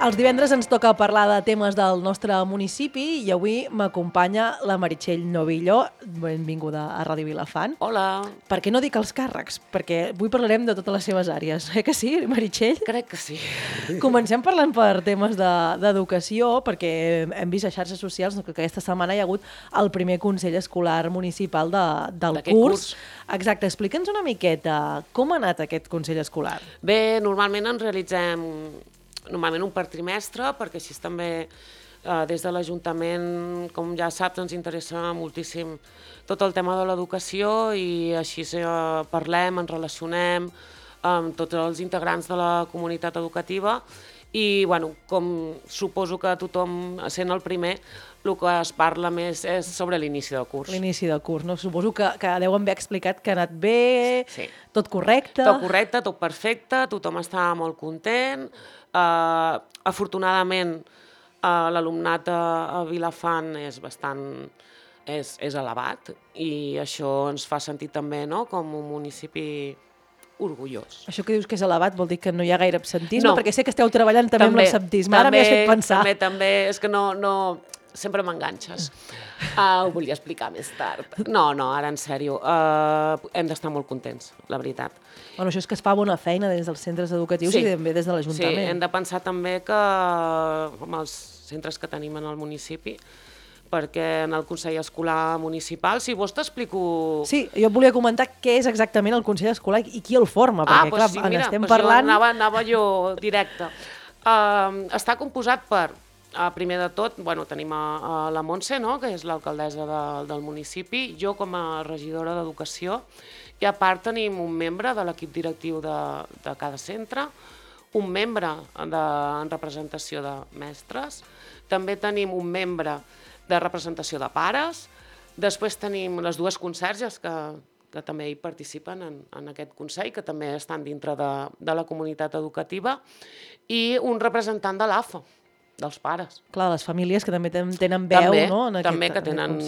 Els divendres ens toca parlar de temes del nostre municipi i avui m'acompanya la Meritxell Novillo. Benvinguda a Ràdio Vilafant. Hola. Per què no dic els càrrecs? Perquè avui parlarem de totes les seves àrees. Que sí, Meritxell? Crec que sí. Comencem parlant per temes d'educació, perquè hem vist a xarxes socials que aquesta setmana hi ha hagut el primer Consell Escolar Municipal del curs. Exacte, explica'ns una miqueta com ha anat aquest Consell Escolar. Bé, normalment en realitzem un per trimestre, perquè així també des de l'Ajuntament, com ja saps, ens interessa moltíssim tot el tema de l'educació i així parlem, ens relacionem amb tots els integrants de la comunitat educativa i, bueno, com suposo que tothom, sent el primer, el que es parla més és sobre l'inici del curs. L'inici del curs, no? Suposo que deuen haver explicat que ha anat bé, sí. Tot correcte. Tot correcte, tot perfecte, tothom està molt content. Afortunadament, l'alumnat a Vilafant és bastant elevat i això ens fa sentir també, no?, com un municipi orgullós. Això que dius que és elevat vol dir que no hi ha gaire absentisme, perquè sé que esteu treballant també amb l'absentisme. Ara m'hi has fet pensar. També, és que no sempre m'enganxes. Ho volia explicar més tard. No, ara en sèrio, hem d'estar molt contents, la veritat. Bueno, això és que es fa bona feina des dels centres educatius i també des de l'Ajuntament. Sí, hem de pensar també que amb els centres que tenim en el municipi, perquè en el Consell Escolar Municipal, si vols t'explico... Sí, jo volia comentar què és exactament el Consell Escolar i qui el forma, perquè clar, sí, mira, estem parlant... Anava jo directe. Està composat per, primer de tot, tenim a la Montse, no?, que és l'alcaldessa del municipi, jo com a regidora d'Educació, i a part tenim un membre de l'equip directiu de cada centre, un membre en representació de mestres, també tenim un membre de representació de pares, després tenim les dues conserges que també hi participen en aquest Consell, que també estan dintre de la comunitat educativa, i un representant de l'AFA, dels pares. Clar, les famílies que també tenen veu, no?, en aquest Consell. També que tenen,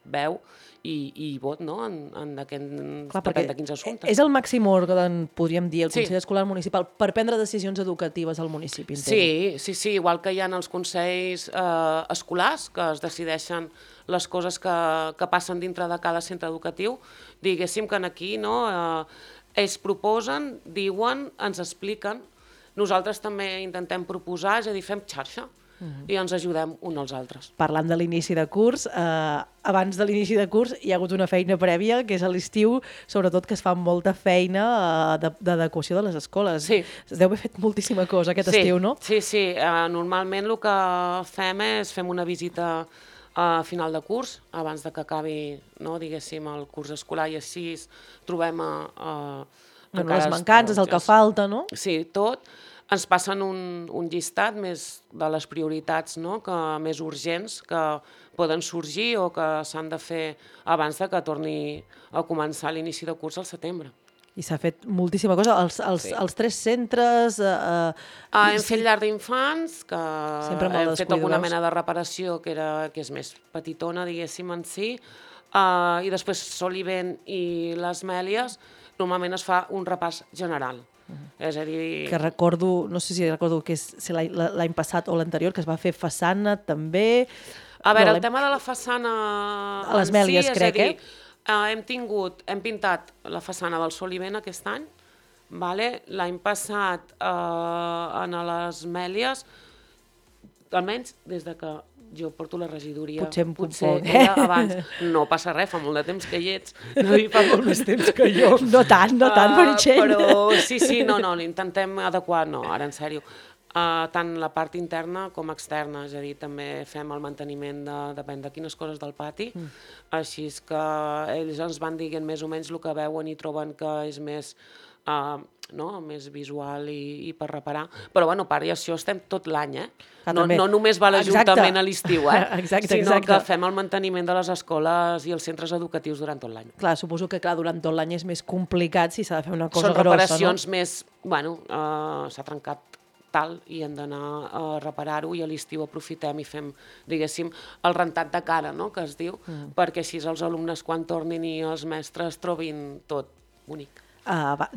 veu i vot, no?, en depèn de quins assumptes. És el màxim òrgan, podríem dir, el Consell Escolar Municipal, per prendre decisions educatives al municipi. Sí, igual que hi ha els consells escolars, que es decideixen les coses que passen dintre de cada centre educatiu, diguéssim que aquí, no, ells proposen, diuen, ens expliquen, nosaltres també intentem proposar, és a dir, fem xarxa. I ens ajudem uns als altres. Parlant de l'inici de curs, abans de l'inici de curs hi ha hagut una feina prèvia, que és a l'estiu, sobretot que es fa molta feina d'adequació de les escoles. Sí. Es deu haver fet moltíssima cosa aquest estiu, no? Sí. Normalment el que fem una visita a final de curs, abans de que acabi, no, diguéssim, el curs escolar, i així trobem les mancances, el que falta, no? Sí, tot. Ens passen un llistat més de les prioritats, no?, més urgents que poden sorgir o que s'han de fer abans de que torni a començar l'inici de curs al setembre. I s'ha fet moltíssima cosa. Els 3 centres... Hem fet llar d'infants, que hem fet alguna mena de reparació que és més petitona, diguéssim, en si, i després Solivent i les Mèlies, normalment es fa un repàs general. És a dir... Que recordo, no sé si recordo que és l'any passat o l'anterior, que es va fer façana també... A veure, el tema de la façana... A les Mèlies, crec, hem pintat la façana del Solivent aquest any, l'any passat a les Mèlies, almenys des de que jo porto la regidoria, potser era abans. No passa res, fa molt de temps que hi ets, no hi fa molt més temps que jo. No tant, Meritxell. Però sí, intentem adequar, ara en sèrio, tant la part interna com externa, és a dir, també fem el manteniment depèn de quines coses del pati, així que ells ens van dient més o menys el que veuen i troben que és més més visual i per reparar, però a part d'això estem tot l'any, no només va l'Ajuntament a l'estiu, sinó que fem el manteniment de les escoles i els centres educatius durant tot l'any. Clar, suposo que durant tot l'any és més complicat si s'ha de fer una cosa grossa, no? Són reparacions més, s'ha trencat tal i hem d'anar a reparar-ho i a l'estiu aprofitem i fem, diguéssim, el rentat de cara, que es diu, perquè així els alumnes quan tornin i els mestres trobin tot bonic.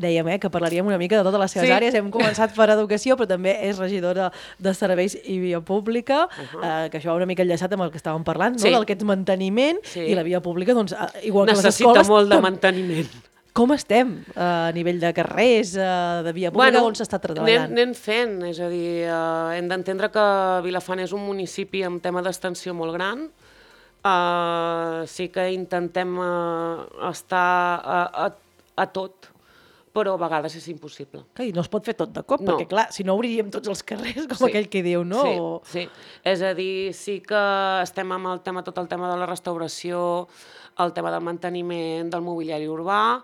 dèiem que parlaríem una mica de totes les seves àrees. Hem començat per educació, però també és regidora de serveis i via pública, que això va una mica enllaçat amb el que estàvem parlant, no? D'aquest manteniment, i la via pública, doncs, igual que les escoles... Necessita molt de manteniment. Com estem a nivell de carrers, de via pública, on s'està treballant? Anem fent, és a dir, hem d'entendre que Vilafant és un municipi amb tema d'extensió molt gran. Sí que intentem estar a tot, però a vegades és impossible. I no es pot fer tot de cop, perquè clar, si no obriríem tots els carrers, com aquell que diu, no? Sí. És a dir, sí que estem amb tot el tema de la restauració, el tema del manteniment, del mobiliari urbà.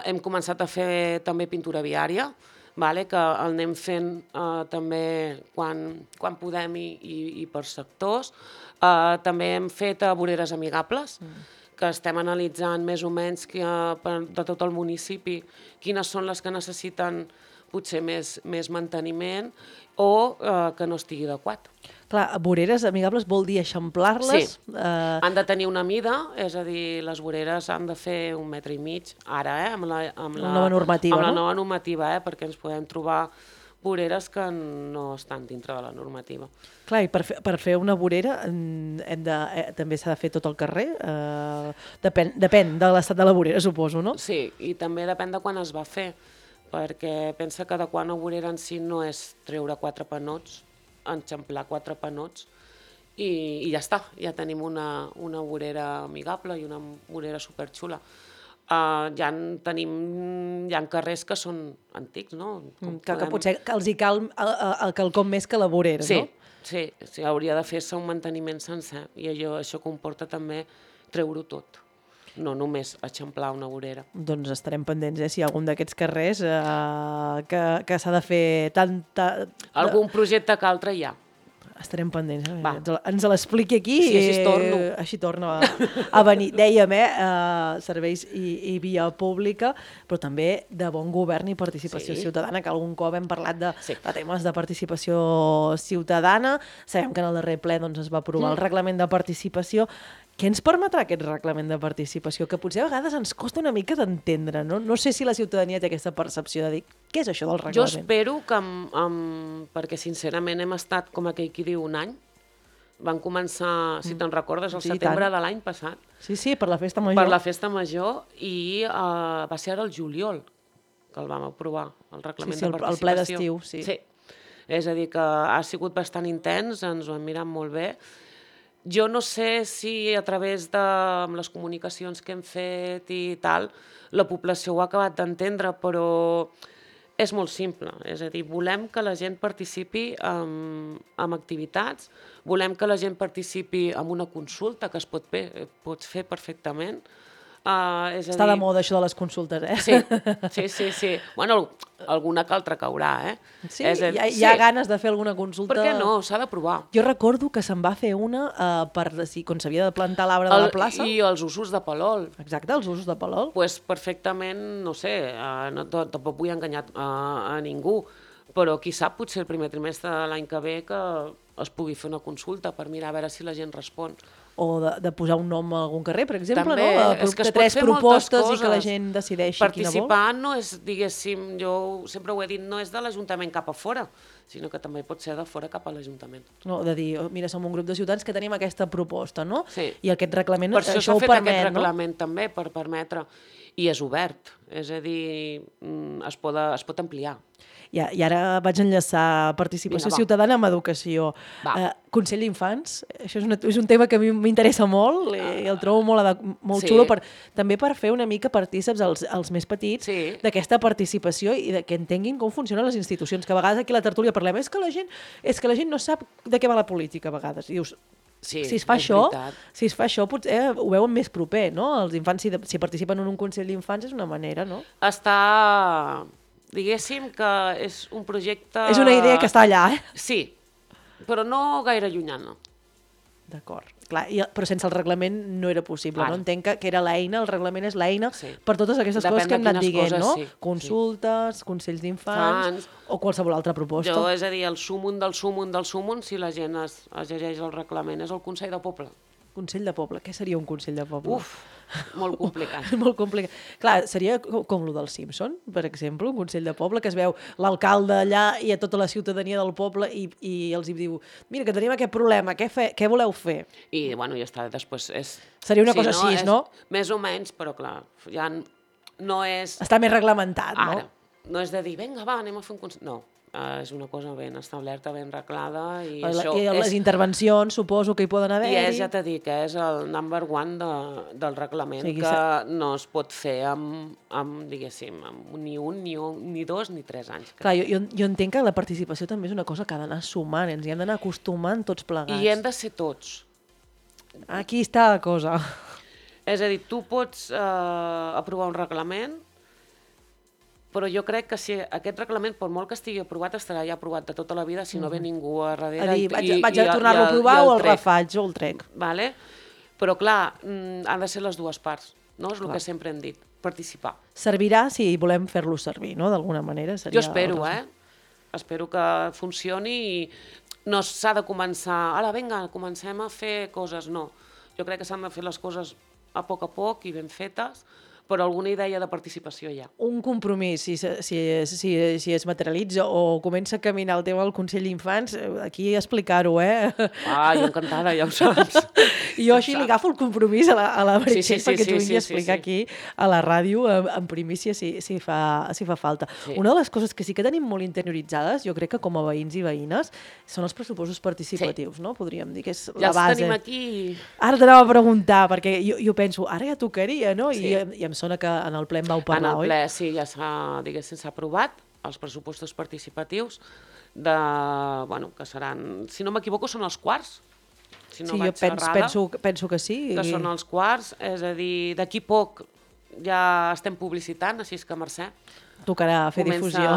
Hem començat a fer també pintura viària, que el anem fent també quan podem i per sectors. També hem fet voreres amigables, que estem analitzant més o menys de tot el municipi quines són les que necessiten potser més manteniment o que no estigui adequat. Clar, voreres amigables vol dir eixamplar-les? Sí, han de tenir una mida, és a dir, les voreres han de fer 1,5 metres, ara, amb la nova normativa, amb la nova normativa, perquè ens podem trobar voreres que no estan dintre de la normativa. Clar, i per fer una vorera també s'ha de fer tot el carrer? Depèn de l'estat de la vorera, suposo, no? Sí, i també depèn de quan es va fer, perquè pensa que adequar una vorera en si no és treure 4 panots, enxamplar 4 panots i ja està, ja tenim una vorera amigable i una vorera superxula. Hi ha carrers que són antics, no? Que potser els hi cal quelcom més que la vorera, no? Sí, hauria de fer-se un manteniment sencer i això comporta també treure-ho tot, no només eixamplar una vorera. Doncs estarem pendents, si hi ha algun d'aquests carrers que s'ha de fer algun projecte que altre hi ha. Estarem pendents. Ens l'expliqui aquí i així torna a venir. Dèiem, serveis i via pública, però també de bon govern i participació ciutadana, que algun cop hem parlat de temes de participació ciutadana. Sabem que en el darrer ple es va aprovar el reglament de participació. Què ens permetrà aquest reglament de participació? Que potser a vegades ens costa una mica d'entendre, no? No sé si la ciutadania té aquesta percepció de dir què és això del reglament. Jo espero que, perquè sincerament hem estat, com aquell qui diu, un any. Van començar, si te'n recordes, al setembre de l'any passat. Sí, per la festa major. Per la festa major i va ser ara el juliol que el vam aprovar, el reglament de participació. El ple d'estiu, sí. És a dir, que ha sigut bastant intens, ens ho hem mirat molt bé. Jo no sé si a través de les comunicacions que hem fet i tal, la població ho ha acabat d'entendre, però és molt simple. És a dir, volem que la gent participi en activitats, volem que la gent participi en una consulta que es pot fer perfectament. Està de moda això de les consultes, Sí. Bueno, alguna que altra caurà, Sí, hi ha ganes de fer alguna consulta. Per què no? S'ha de provar. Jo recordo que se'n va fer una quan s'havia de plantar l'arbre de la plaça. I els usos de Palol. Exacte, els usos de Palol. Doncs perfectament, no sé, tampoc vull enganyar a ningú, però qui sap, potser el primer trimestre de l'any que ve que es pugui fer una consulta per mirar a veure si la gent respon. O de posar un nom a algun carrer, per exemple, també, no? És que es pot 3 fer propostes i que la gent decideixi quina vol. Participar no és, diguéssim, jo sempre ho he dit, no és de l'Ajuntament cap a fora, sinó que també pot ser de fora cap a l'Ajuntament. No, de dir, mira, som un grup de ciutadans que tenim aquesta proposta, no? Sí. I aquest reglament això ho permet, no? Per això s'ha fet aquest reglament també, per permetre, i és obert, és a dir, es pot ampliar. I ara vaig enllaçar participació ciutadana amb educació. Consell d'Infants, això és un tema que a mi m'interessa molt i el trobo molt xulo, també per fer una mica partíceps als més petits d'aquesta participació i que entenguin com funcionen les institucions, que a vegades aquí a la tertúlia parlem, és que la gent no sap de què va la política a vegades. I dius, si es fa això, potser ho veuen més proper, no? Els infants, si participen en un Consell d'Infants, és una manera, no? Diguéssim que és un projecte... És una idea que està allà, Sí, però no gaire llunyana. D'acord. Però sense el reglament no era possible, no? Entenc que era l'eina, el reglament és l'eina per totes aquestes coses que hem anat dient, no? Consultes, consells d'infants o qualsevol altra proposta. És a dir, el súmum del súmum del súmum, si la gent es llegeix el reglament, és el Consell de Poble. Consell de Poble. Què seria un Consell de Poble? molt complicat. Molt complicat. Clar, seria com lo del Simpson, per exemple, un consell de poble, que es veu l'alcalde allà i a tota la ciutadania del poble i els hi diu, mira, que tenim aquest problema, què voleu fer? I, bueno, ja està, després és... Seria una cosa així, no? Més o menys, però clar, ja no és... Està més reglamentat, no? Ara, no és de dir, vinga, va, anem a fer un consell... No, és una cosa ben establerta, ben reglada, i això I les intervencions, suposo que hi poden haver-hi. I ja t'he dit que és el number one del reglament, que no es pot fer amb diguéssim, amb ni un, ni dos, ni 3 anys. Clar, jo entenc que la participació també és una cosa que ha d'anar sumant, ens hi hem d'anar acostumant tots plegats. I hem de ser tots. Aquí està la cosa. És a dir, tu pots aprovar un reglament, però jo crec que si aquest reglament, per molt que estigui aprovat, estarà ja aprovat de tota la vida si no ve ningú a darrere. A dir, vaig a tornar-lo a provar o el refaig o el trec. Vale? Però clar, han de ser les dues parts, no? És el que sempre hem dit, participar. Servirà si volem fer-lo servir, no? D'alguna manera. Jo espero, Espero que funcioni i no s'ha de començar, ara vinga, comencem a fer coses, no. Jo crec que s'han de fer les coses a poc i ben fetes, però alguna idea de participació hi ha. Un compromís, si es materialitza o comença a caminar el tema del Consell d'Infants, aquí explicar-ho, Jo encantada, ja ho saps. Jo així li agafo el compromís a la Meritxell perquè t'ho vingui a explicar aquí a la ràdio en primícia si fa falta. Una de les coses que sí que tenim molt interioritzades, jo crec que com a veïns i veïnes, són els pressupostos participatius, no? Podríem dir que és la base. Ja els tenim aquí. Ara t'anava a preguntar, perquè jo penso, ara ja tocaria, no? I em sona que en el ple en vau parlar, oi? En el ple, sí, ja s'ha aprovat els pressupostos participatius que seran, si no m'equivoco, són els quarts. Si no vaig errada, penso que sí. Que són els quarts, és a dir, d'aquí poc ja estem publicitant, així que Mercè. Tocarà fer difusió.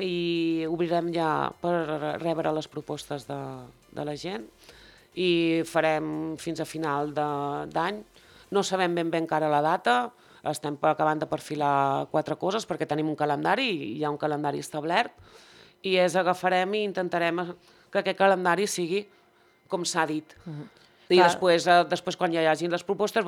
I obrirem ja per rebre les propostes de la gent i farem fins a final d'any. No sabem ben bé encara la data, estem acabant de perfilar 4 coses perquè tenim un calendari, hi ha un calendari establert, i agafarem i intentarem que aquest calendari sigui com s'ha dit. I després quan ja hi hagin les propostes,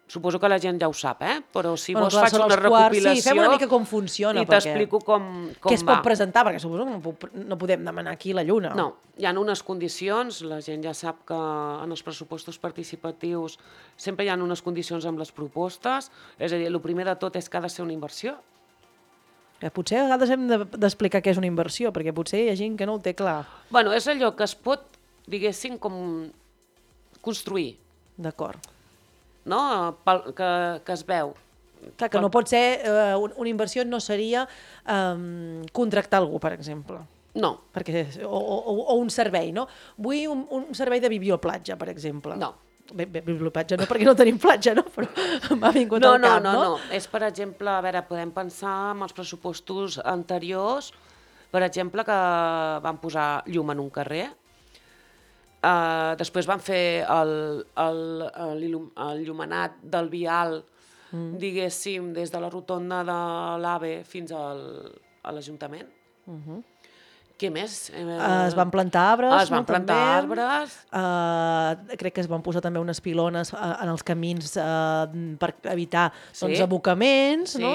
suposo que la gent ja ho sap, però si vols faig una recopilació... Sí, fem una mica com funciona. I t'explico com va. Què es pot presentar, perquè suposo que no podem demanar aquí la lluna. No, hi ha unes condicions, la gent ja sap que en els pressupostos participatius sempre hi ha unes condicions amb les propostes, és a dir, el primer de tot és que ha de ser una inversió. Potser a vegades hem d'explicar què és una inversió, perquè potser hi ha gent que no ho té clar. És allò que es pot, diguéssim, com construir. D'acord. No? Que es veu. Clar, que no pot ser, una inversió no seria contractar algú, per exemple. No. O un servei, no? Vull un servei de biblioplatja, per exemple. No. Bé, biblioplatja no, perquè no tenim platja, no? Però m'ha vingut al cap, no? No. És, per exemple, podem pensar en els pressupostos anteriors, per exemple, que van posar llum en un carrer. Després van fer l'il·luminat del vial, diguéssim, des de la rotonda de l'AVE fins a l'Ajuntament. Què més? Es van plantar arbres. Es van plantar arbres. Crec que es van posar també unes pilones en els camins per evitar abocaments. No?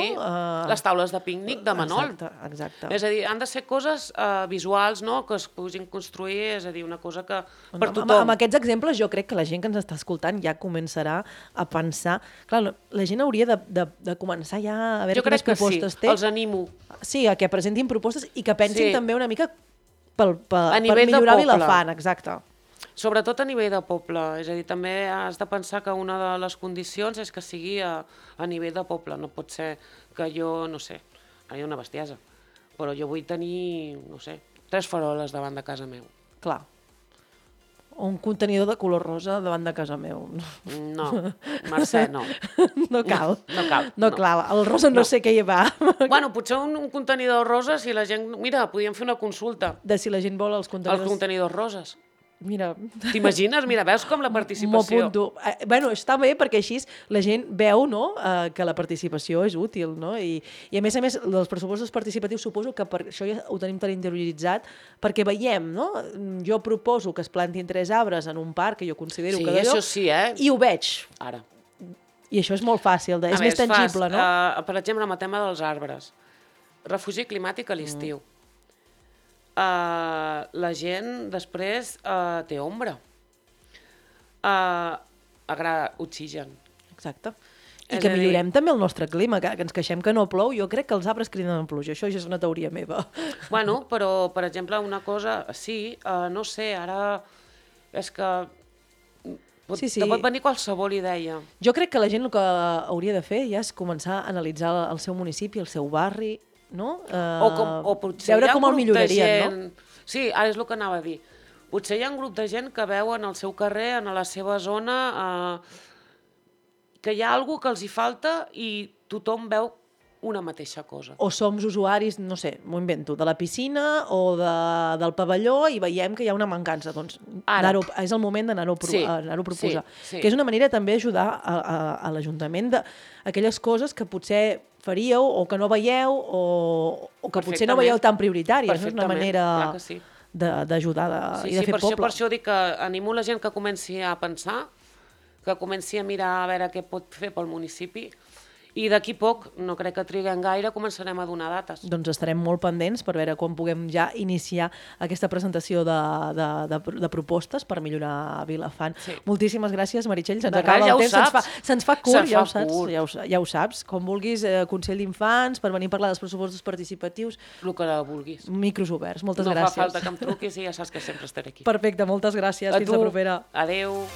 Les taules de pícnic de Manol. Exacte. És a dir, han de ser coses visuals, no? Que es puguin construir, és a dir, una cosa que per tothom... Amb aquests exemples jo crec que la gent que ens està escoltant ja començarà a pensar... Clar, la gent hauria de començar ja a veure quines propostes té. Jo crec que sí, els animo. Sí, a que presentin propostes i que pensin també una mica per de millorar Vilafant, exacte. Sobretot a nivell de poble, és a dir, també has de pensar que una de les condicions és que sigui a nivell de poble, no pot ser que jo, no sé, ara hi ha una bestiesa, però jo vull tenir, no sé, 3 faroles davant de casa meu. Clar. Un contenidor de color rosa davant de casa meu. No, Mercè, no. No cal. No cal. El rosa no sé què hi va. Potser un contenidor rosa, si la gent... Mira, podríem fer una consulta. De si la gent vol els contenidors... Els contenidors roses. Mira... T'imagines? Mira, veus com la participació... M'ho apunto. Bueno, està bé perquè així la gent veu, no?, que la participació és útil, no? I a més, els pressupostos participatius suposo que per això ja ho tenim tan interioritzat, perquè veiem, no? Jo proposo que es plantin 3 arbres en un parc, que jo considero que d'allò... Sí, això sí, I ho veig. Ara. I això és molt fàcil, és més tangible, no? Per exemple, amb el tema dels arbres. Refugi climàtic a l'estiu. La gent després té ombra. Oxigen. Exacte. I que millorem també el nostre clima, que ens queixem que no plou. Jo crec que els arbres criden en pluja. Això ja és una teoria meva. Bueno, però, per exemple, una cosa... Sí, no sé, ara... És que... Te pot venir qualsevol idea. Jo crec que la gent el que hauria de fer ja és començar a analitzar el seu municipi, el seu barri, no? O potser veure hi ha com el millorarien, no? Sí, ara és el que anava a dir. Potser hi ha un grup de gent que veu en el seu carrer, en la seva zona, que hi ha alguna que els hi falta i tothom veu una mateixa cosa. O som usuaris, no sé, m'ho invento, de la piscina o del pavelló i veiem que hi ha una mancança. Doncs és el moment d'anar-ho a proposar. Que és una manera també d'ajudar a l'Ajuntament d'aquelles coses que potser faríeu o que no veieu o que potser no veieu tan prioritàries. És una manera d'ajudar i de fer poble. Per això dic que animo la gent que comenci a pensar, que comenci a mirar a veure què pot fer pel municipi. I d'aquí poc, no crec que triguem gaire, començarem a donar dates. Doncs estarem molt pendents per veure quan puguem ja iniciar aquesta presentació de propostes per millorar Vilafant. Moltíssimes gràcies, Meritxell. Se'ns acaba el temps. Se'ns fa curt, ja ho saps. Com vulguis, Consell d'Infants, per venir a parlar dels pressupostos participatius. El que vulguis. Micros oberts. Moltes gràcies. No fa falta que em truquis i ja saps que sempre estaré aquí. Perfecte, moltes gràcies. Fins la propera. Adéu.